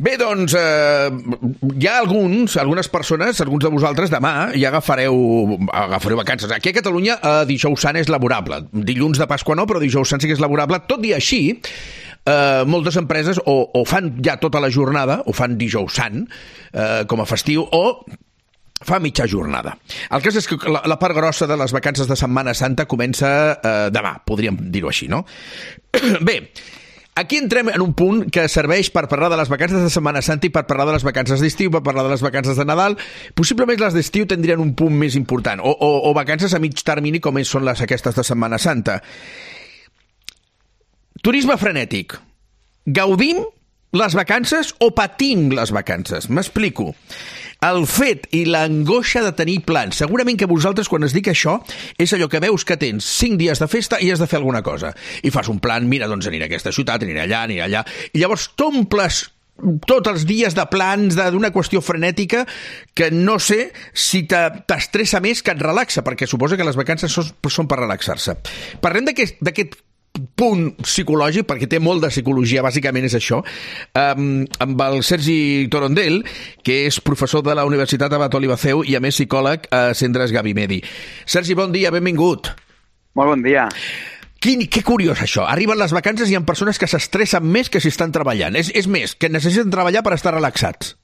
Bé, doncs, hi ha algunes persones, alguns de vosaltres, demà ja agafareu vacances. Aquí a Catalunya dijous sant és laborable. Dilluns de Pasqua no, però dijous sant sí que és laborable. Tot i així, moltes empreses o fan ja tota la jornada, o fan dijous sant com a festiu, o fa mitja jornada. El cas és que la part grossa de les vacances de Setmana Santa comença demà, podríem dir-ho així, no? Bé, aquí entrem en un punt que serveix per parlar de les vacances de Setmana Santa i per parlar de les vacances d'estiu, per parlar de les vacances de Nadal. Possiblement les d'estiu tindrien un punt més important, o vacances a mig termini com són les aquestes de Setmana Santa. Turisme frenètic. Gaudim les vacances o patim les vacances? M'explico. El fet i l'angoixa de tenir plans. Segurament que vosaltres, quan es dic això, és allò que veus que tens 5 dies de festa i has de fer alguna cosa. I fas un plan, mira, doncs aniré a aquesta ciutat, aniré allà. I llavors t'omples tots els dies de plans d'una qüestió frenètica que no sé si t'estressa més que et relaxa, perquè suposa que les vacances són per relaxar-se. Parlem d'aquest punt psicològic, perquè té molt de psicologia, bàsicament és això, amb el Sergi Torondel, que és professor de la Universitat Abat Olivaceu i a més psicòleg a Centres Gavi Medi. Sergi, bon dia, benvingut. Molt bon dia. Que curiós això, arriben les vacances i hi ha persones que s'estressen més que si estan treballant, és més, que necessiten treballar per estar relaxats.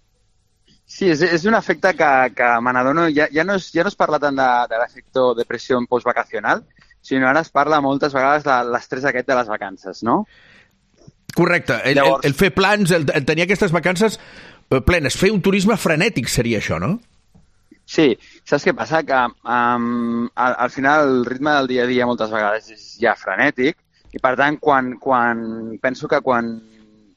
Sí, és un efecte que me n'adono, ja no es parla tant de l'efecte depressió postvacacional, sinó ara es parla moltes vegades de l'estrès aquest de les vacances, no? Correcte. El fer plans, el tenir aquestes vacances plenes, fer un turisme frenètic seria això, no? Sí. Saps què passa? Que al final el ritme del dia a dia moltes vegades és ja frenètic i, per tant, penso que quan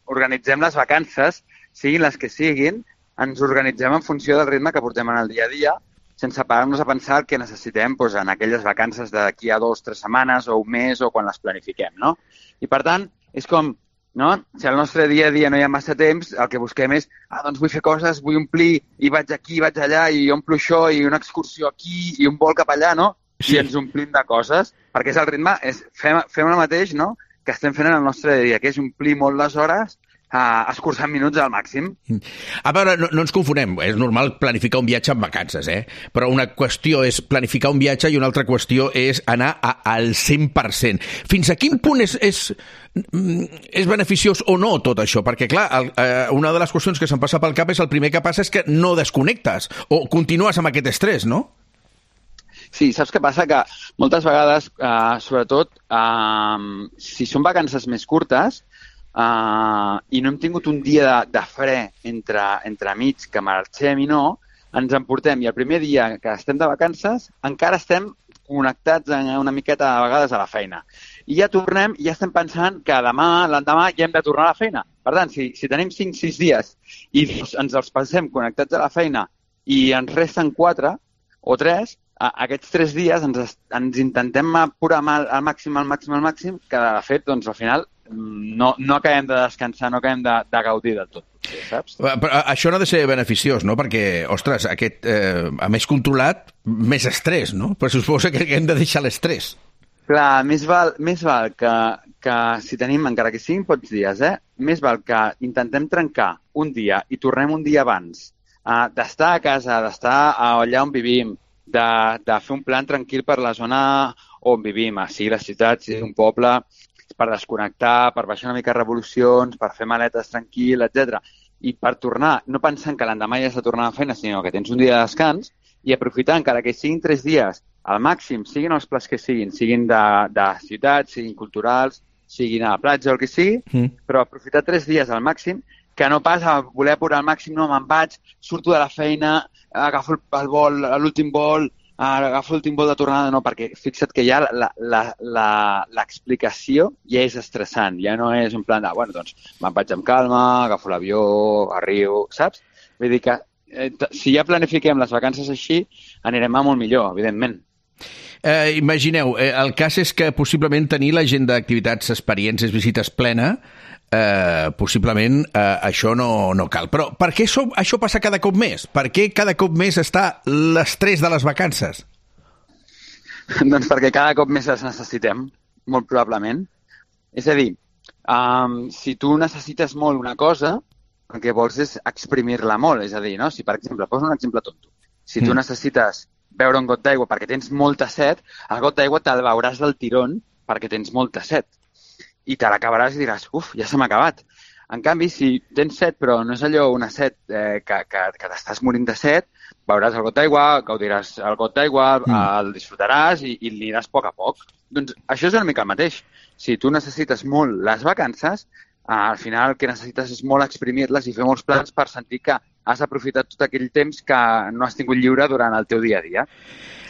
organitzem les vacances, siguin les que siguin, ens organitzem en funció del ritme que portem en el dia a dia, sense parar-nos a pensar el que necessitem en aquelles vacances d'aquí a 2 o 3 setmanes o un mes o quan les planifiquem, no? I, per tant, és com, no? Si al nostre dia a dia no hi ha massa temps, el que busquem és, doncs vull fer coses, vull omplir, i vaig aquí, vaig allà, i omplo això, i una excursió aquí, i un vol cap allà, no? Sí. I ens omplim de coses, perquè és el ritme, fem el mateix, no?, que estem fent en el nostre dia a dia, que és omplir molt les hores, escurçant minuts al màxim. A veure, no ens confonem, és normal planificar un viatge en vacances, però una qüestió és planificar un viatge i una altra qüestió és anar al 100%. Fins a quin punt és beneficiós o no tot això? Perquè, clar, una de les qüestions que se'm passa pel cap és el primer que passa és que no desconnectes o continues amb aquest estrès, no? Sí, saps què passa? Que moltes vegades, sobretot, si són vacances més curtes, i no hem tingut un dia de fre entre mig que marxem i no, ens emportem i el primer dia que estem de vacances encara estem connectats una miqueta a vegades a la feina. I ja tornem i ja estem pensant que demà, l'endemà, ja hem de tornar a la feina. Per tant, si tenim 5-6 dies i ens els passem connectats a la feina i ens resten 4 o 3, aquests 3 dies ens intentem apurar al màxim, que de fet, doncs, al final, no acabem de descansar, no acabem de gaudir de tot, saps? Però això no ha de ser beneficiós, no? Perquè, ostres, aquest, a més controlat, més estrès, no? Però suposa que hem de deixar l'estrès. Clar, més val que si tenim, encara que siguin pocs dies, més val que intentem trencar un dia i tornem un dia abans d'estar a casa, d'estar allà on vivim, de fer un plan tranquil per la zona on vivim, sigui la ciutat, sigui un poble, per desconnectar, per baixar una mica revolucions, per fer maletes tranquil, etc. I per tornar, no pensant que l'endemà ja has de tornar a la feina, sinó que tens un dia de descans i aprofitar, encara que siguin 3 dies, al màxim, siguin els plans que siguin de ciutat, siguin culturals, siguin a la platja o el que sigui, però aprofitar 3 dies al màxim, que no pas a voler apurar al màxim, no, me'n vaig, surto de la feina, agafo el vol, l'últim vol, agafo l'últim vol de tornada, no, perquè fixa't que ja l'explicació ja és estressant, ja no és un plan de, bueno, doncs me'n vaig amb calma, agafo l'avió, arribo, saps? Vull dir que si ja planifiquem les vacances així, anirem a molt millor, evidentment. Imagineu, el cas és que possiblement tenir l'agenda d'activitats, experiències, visites plena, possiblement això no cal. Però per què això passa cada cop més? Per què cada cop més està l'estrès de les vacances? Doncs perquè cada cop més les necessitem, molt probablement. És a dir, si tu necessites molt una cosa, el que vols és exprimir-la molt. És a dir, no? Si, per exemple, poso un exemple tonto. Si tu necessites beure un got d'aigua perquè tens molta set, el got d'aigua te'l beuràs del tirón perquè tens molta set. I te l'acabaràs i diràs, uf, ja se m'ha acabat. En canvi, si tens set, però no és allò una set que t'estàs morint de set, beuràs el got d'aigua, gaudiràs el got d'aigua, el disfrutaràs i aniràs a poc. Doncs això és una mica el mateix. Si tu necessites molt les vacances, al final el que necessites és molt exprimir-les i fer molts plans per sentir que has aprofitat tot aquell temps que no has tingut lliure durant el teu dia a dia.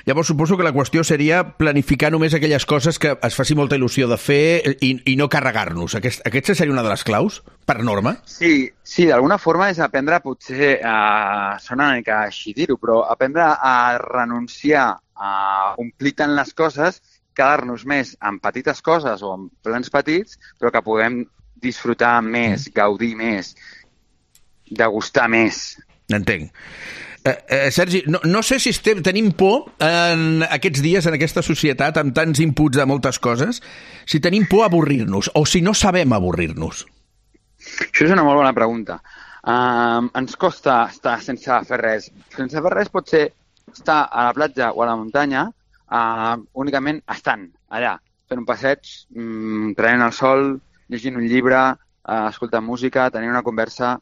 Llavors suposo que la qüestió seria planificar només aquelles coses que es faci molta il·lusió de fer i no carregar-nos. Aquesta seria una de les claus, per norma? Sí, d'alguna forma és aprendre, potser, sona una mica així dir-ho, però aprendre a renunciar a omplir tant les coses, quedar-nos més en petites coses o en plans petits, però que puguem disfrutar més, gaudir més, degustar més. Entenc. Sergi, no sé si tenim por en aquests dies, en aquesta societat, amb tants inputs de moltes coses, si tenim por a avorrir-nos o si no sabem avorrir-nos. Això és una molt bona pregunta. Ens costa estar sense fer res. Sense fer res pot ser estar a la platja o a la muntanya únicament estant allà, fent un passeig, prenent el sol, llegint un llibre, escoltant música, tenint una conversa.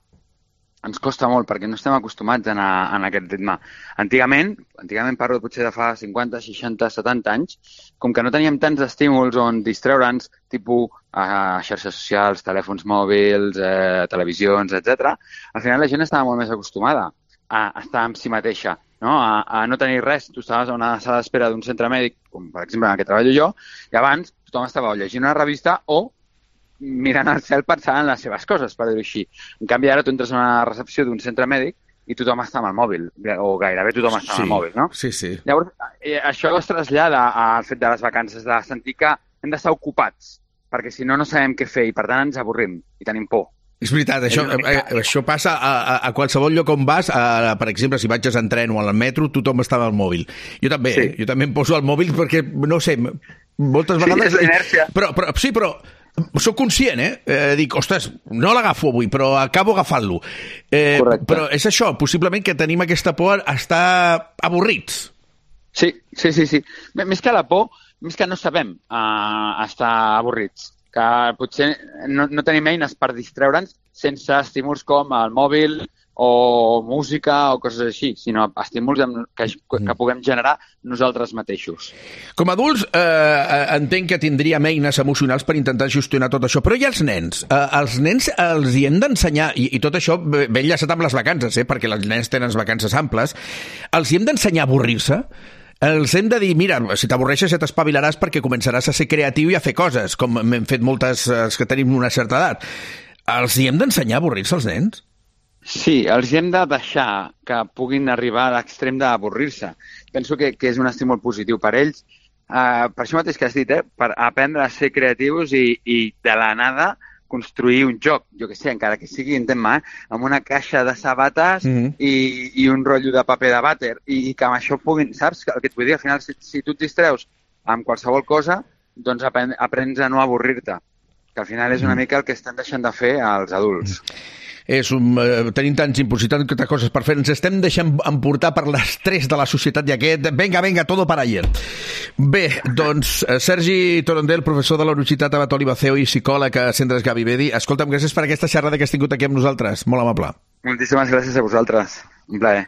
Ens costa molt perquè no estem acostumats a anar en aquest ritme. Antigament parlo potser de fa 50, 60, 70 anys, com que no teníem tants estímuls on distreure'ns, tipus xarxes socials, telèfons mòbils, televisions, etc. Al final la gent estava molt més acostumada a estar amb si mateixa, no? A no tenir res. Tu estaves a una sala d'espera d'un centre mèdic, com per exemple en el que treballo jo, i abans tothom estava llegint una revista o mirant al cel pensant en les seves coses, per dir-ho així. En canvi, ara tu entres a una recepció d'un centre mèdic i tothom està amb el mòbil, o gairebé tothom està amb el mòbil, no? Sí. Llavors, això es trasllada al fet de les vacances, de sentir que hem d'estar ocupats, perquè si no, no sabem què fer i, per tant, ens avorrim i tenim por. És veritat, això passa a qualsevol lloc on vas, per exemple, si vaig en tren o al metro, tothom està amb el mòbil. Jo també, jo també em poso al mòbil perquè, no sé, moltes vegades... Sí, és l'inèrcia. Però soc conscient, dic, ostres, no l'agafo avui, però acabo agafant-lo. Però és això, possiblement que tenim aquesta por a estar avorrits. Sí. Més que la por, més que no sabem estar avorrits. Que potser no tenim eines per distreure'ns sense estímuls com el mòbil o música o coses així, sinó estímuls que puguem generar nosaltres mateixos. Com a adults, entenc que tindríem eines emocionals per intentar gestionar tot això, però i els nens? Els nens els hi hem d'ensenyar, i tot això ben enllaçat amb les vacances, perquè els nens tenen vacances amples, els hi hem d'ensenyar a avorrir-se? Els hem de dir, mira, si t'avorreixes ja t'espavilaràs perquè començaràs a ser creatiu i a fer coses, com hem fet moltes que tenim una certa edat. Els hi hem d'ensenyar a avorrir-se als nens? Sí, els hem de deixar que puguin arribar a l'extrem d'avorrir-se. Penso que és un estímul positiu per ells. Per això mateix que has dit, per aprendre a ser creatius i de la nada construir un joc, jo que sé, encara que sigui en tema, amb una caixa de sabates i un rotllo de paper de vàter, i que amb això puguin, saps? El que et vull dir, al final, si tu et distreus amb qualsevol cosa, doncs aprens a no avorrir-te, que al final és una mica el que estan deixant de fer els adults. Tenim tants inputs i tantes coses per fer, ens estem deixant emportar per l'estrès de la societat i aquest venga, todo para ayer. Bé, doncs, Sergi Torondel, professor de la Universitat Abat Oliba CEO i psicòleg a Centres Gavi Bedi, escolta'm, gràcies per aquesta xerrada que has tingut aquí amb nosaltres, molt amable. Moltíssimes gràcies a vosaltres, un plaer.